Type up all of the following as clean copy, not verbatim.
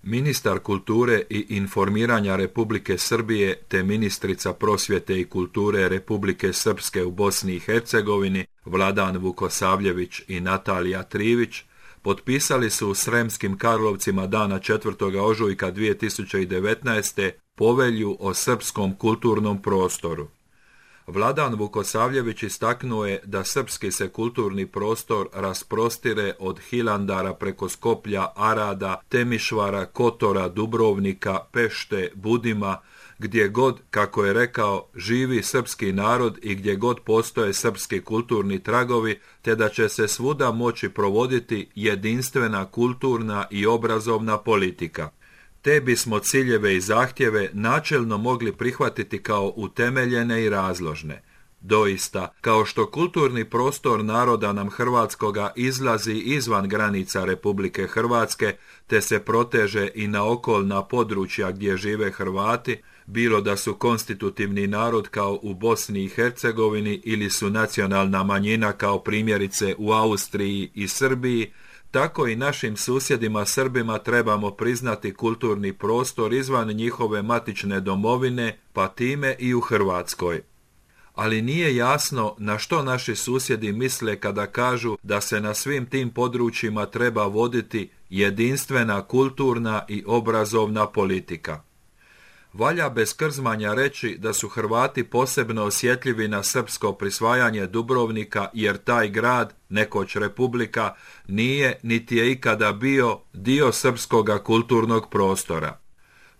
Ministar kulture i informiranja Republike Srbije te ministrica prosvjete i kulture Republike Srpske u Bosni i Hercegovini Vladan Vukosavljević i Natalija Trivić potpisali su u Sremskim Karlovcima dana 4. ožujka 2019. povelju o srpskom kulturnom prostoru. Vladan Vukosavljević istaknuo je da srpski se kulturni prostor rasprostire od Hilandara preko Skoplja, Arada, Temišvara, Kotora, Dubrovnika, Pešte, Budima, gdje god, kako je rekao, živi srpski narod i gdje god postoje srpski kulturni tragovi, te da će se svuda moći provoditi jedinstvena kulturna i obrazovna politika. Te bismo ciljeve i zahtjeve načelno mogli prihvatiti kao utemeljene i razložne. Doista, kao što kulturni prostor naroda nam hrvatskoga izlazi izvan granica Republike Hrvatske, te se proteže i na okolna područja gdje žive Hrvati, bilo da su konstitutivni narod kao u Bosni i Hercegovini ili su nacionalna manjina kao primjerice u Austriji i Srbiji, tako i našim susjedima Srbima trebamo priznati kulturni prostor izvan njihove matične domovine, pa time i u Hrvatskoj. Ali nije jasno na što naši susjedi misle kada kažu da se na svim tim područjima treba voditi jedinstvena kulturna i obrazovna politika. Valja bez krzmanja reći da su Hrvati posebno osjetljivi na srpsko prisvajanje Dubrovnika jer taj grad, nekoć republika, nije niti je ikada bio dio srpskoga kulturnog prostora.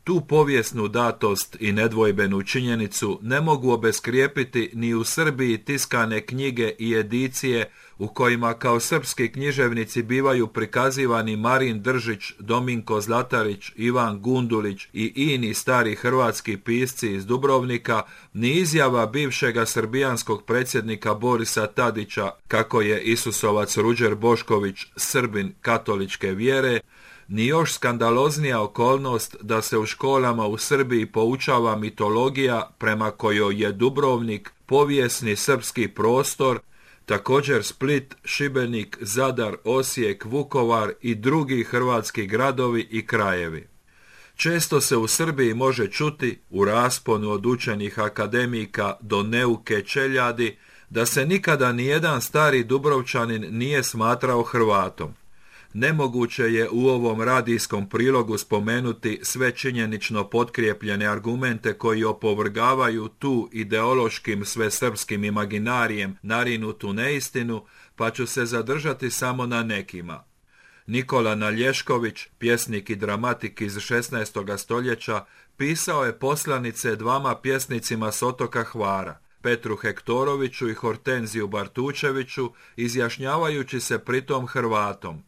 Tu povijesnu datost i nedvojbenu činjenicu ne mogu obeskrijepiti ni u Srbiji tiskane knjige i edicije u kojima kao srpski književnici bivaju prikazivani Marin Držić, Dominko Zlatarić, Ivan Gundulić i ini stari hrvatski pisci iz Dubrovnika, ni izjava bivšega srbijanskog predsjednika Borisa Tadića kako je Isusovac Ruđer Bošković Srbin katoličke vjere, ni još skandaloznija okolnost da se u školama u Srbiji poučava mitologija prema kojoj je Dubrovnik povijesni srpski prostor, također Split, Šibenik, Zadar, Osijek, Vukovar i drugi hrvatski gradovi i krajevi. Često se u Srbiji može čuti, u rasponu od učenih akademika do neuke čeljadi, da se nikada nijedan stari Dubrovčanin nije smatrao Hrvatom. Nemoguće je u ovom radijskom prilogu spomenuti sve činjenično potkrijepljene argumente koji opovrgavaju tu ideološkim svesrpskim imaginarijem narinutu neistinu, pa ću se zadržati samo na nekima. Nikola Nalješković, pjesnik i dramatik iz 16. stoljeća, pisao je poslanice dvama pjesnicima s otoka Hvara, Petru Hektoroviću i Hortenziju Bartučeviću, izjašnjavajući se pritom Hrvatom.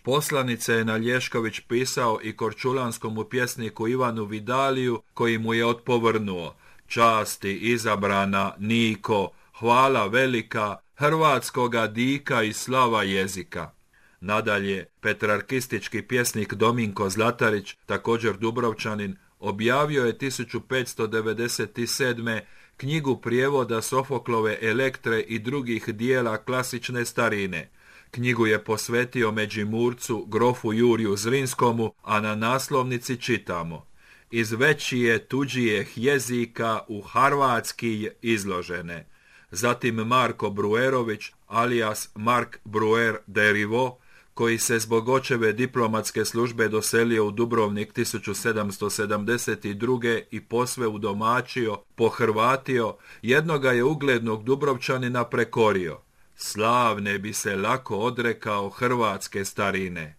Poslanice je Nalješković pisao i korčulanskom pjesniku Ivanu Vidaliju, koji mu je odpovrnuo: časti izabrana, Niko, hvala velika, hrvatskoga dika i slava jezika. Nadalje, petrarkistički pjesnik Dominko Zlatarić, također Dubrovčanin, objavio je 1597. knjigu prijevoda Sofoklove Elektre i drugih dijela klasične starine. Knjigu je posvetio Međimurcu, grofu Juriju Zrinskomu, a na naslovnici čitamo: iz većije tuđijeh jezika u harvatski izložene. Zatim Marko Bruerović, alias Mark Bruer de Rivo, koji se zbog očeve diplomatske službe doselio u Dubrovnik 1772. i posve udomačio, pohrvatio, jednoga je uglednog Dubrovčanina prekorio. Slavne bi se lako odrekao hrvatske starine.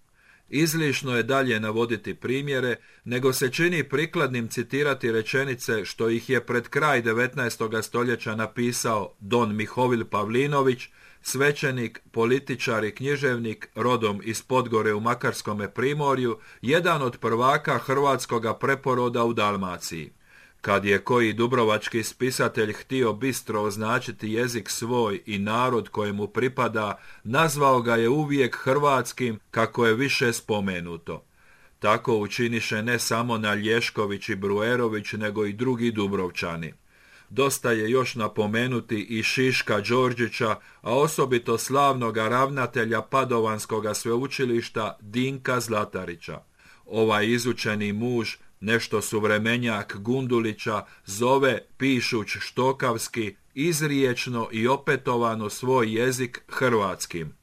Izlišno je dalje navoditi primjere, nego se čini prikladnim citirati rečenice što ih je pred kraj 19. stoljeća napisao Don Mihovil Pavlinović, svećenik, političar i književnik, rodom iz Podgore u Makarskome primorju, jedan od prvaka hrvatskoga preporoda u Dalmaciji. Kad je koji dubrovački spisatelj htio bistro označiti jezik svoj i narod kojemu pripada, nazvao ga je uvijek hrvatskim, kako je više spomenuto. Tako učiniše ne samo Nalješković i Bruerović, nego i drugi Dubrovčani. Dosta je još napomenuti i Šiška Đorđića, a osobito slavnoga ravnatelja Padovanskoga sveučilišta Dinka Zlatarića. Ovaj izučeni muž, nešto suvremenjak Gundulića, zove, pišuć štokavski, izriječno i opetovano svoj jezik hrvatskim.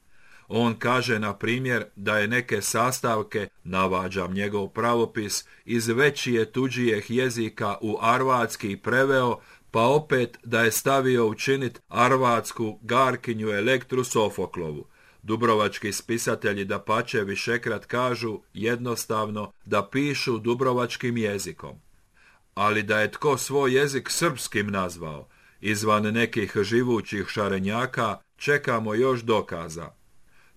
On kaže, na primjer, da je neke sastavke, navađam njegov pravopis, iz većije tuđijeh jezika u arvatski preveo, pa opet da je stavio učinit arvatsku Garkinju Elektru Sofoklovu. Dubrovački spisatelji dapače višekrat kažu jednostavno da pišu dubrovačkim jezikom. Ali da je tko svoj jezik srpskim nazvao, izvan nekih živućih šarenjaka, čekamo još dokaza.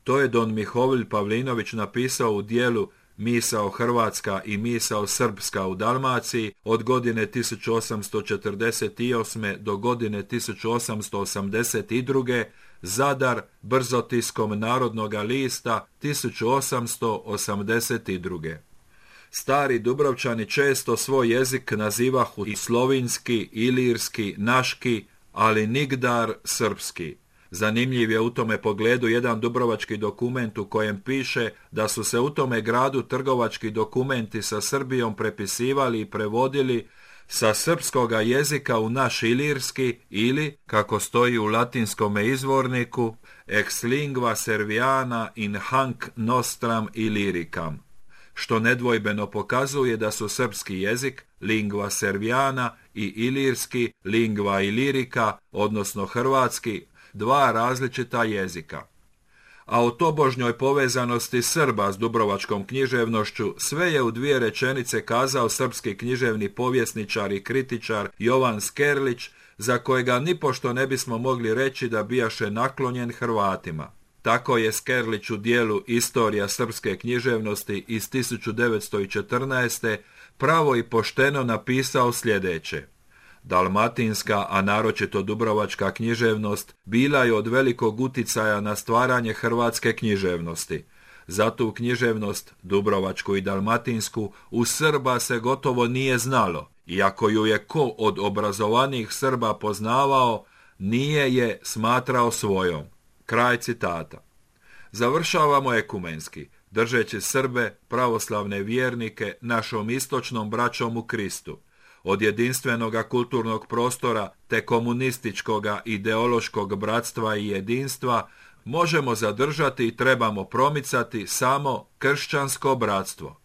To je don Mihovil Pavlinović napisao u dijelu Misao Hrvatska i misao Srpska u Dalmaciji od godine 1848. do godine 1882. Zadar, brzotiskom Narodnoga lista 1882. Stari Dubrovčani često svoj jezik nazivahu i slovinski, ilirski, naški, ali nigdar srpski. Zanimljiv je u tome pogledu jedan dubrovački dokument u kojem piše da su se u tome gradu trgovački dokumenti sa Srbijom prepisivali i prevodili sa srpskoga jezika u naš ilirski ili, kako stoji u latinskome izvorniku, ex lingua serviana in hanc nostram illyricam, što nedvojbeno pokazuje da su srpski jezik, lingua serviana, i ilirski, lingua illirica, odnosno hrvatski, dva različita jezika. A o tobožnjoj povezanosti Srba s dubrovačkom književnošću sve je u dvije rečenice kazao srpski književni povjesničar i kritičar Jovan Skerlić, za kojega nipošto ne bismo mogli reći da bijaše naklonjen Hrvatima. Tako je Skerlić u dijelu Istorija srpske književnosti iz 1914. pravo i pošteno napisao sljedeće. Dalmatinska, a naročito dubrovačka književnost bila je od velikog uticaja na stvaranje hrvatske književnosti. Za tu književnost, dubrovačku i dalmatinsku, u Srba se gotovo nije znalo, iako ju je ko od obrazovanih Srba poznavao, nije je smatrao svojom. Kraj citata. Završavamo ekumenski, držeći Srbe, pravoslavne vjernike, našom istočnom braćom u Kristu. Od jedinstvenoga kulturnog prostora te komunističkoga ideološkog bratstva i jedinstva možemo zadržati i trebamo promicati samo kršćansko bratstvo.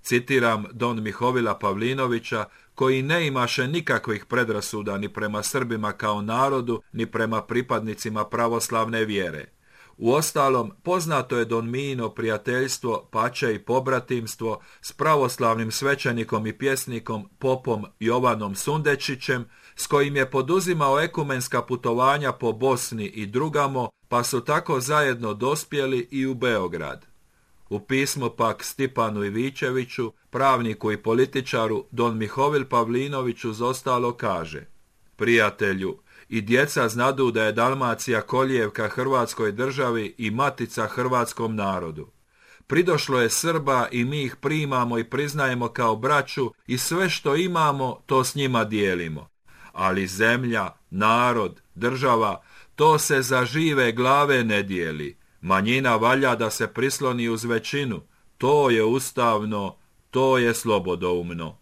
Citiram don Mihovila Pavlinovića, koji ne imaše nikakvih predrasuda ni prema Srbima kao narodu, ni prema pripadnicima pravoslavne vjere. Uostalom, poznato je don Mijino prijateljstvo, pače i pobratimstvo s pravoslavnim svećenikom i pjesnikom popom Jovanom Sundečićem, s kojim je poduzimao ekumenska putovanja po Bosni i drugamo, pa su tako zajedno dospjeli i u Beograd. U pismu pak Stipanu Ivićeviću, pravniku i političaru, don Mihovil Pavlinović uz ostalo kaže: Prijatelju, i djeca znadu da je Dalmacija kolijevka Hrvatskoj državi i matica hrvatskom narodu. Pridošlo je Srba i mi ih primamo i priznajemo kao braću i sve što imamo to s njima dijelimo. Ali zemlja, narod, država, to se za žive glave ne dijeli. Manjina valja da se prisloni uz većinu. To je ustavno, to je slobodoumno.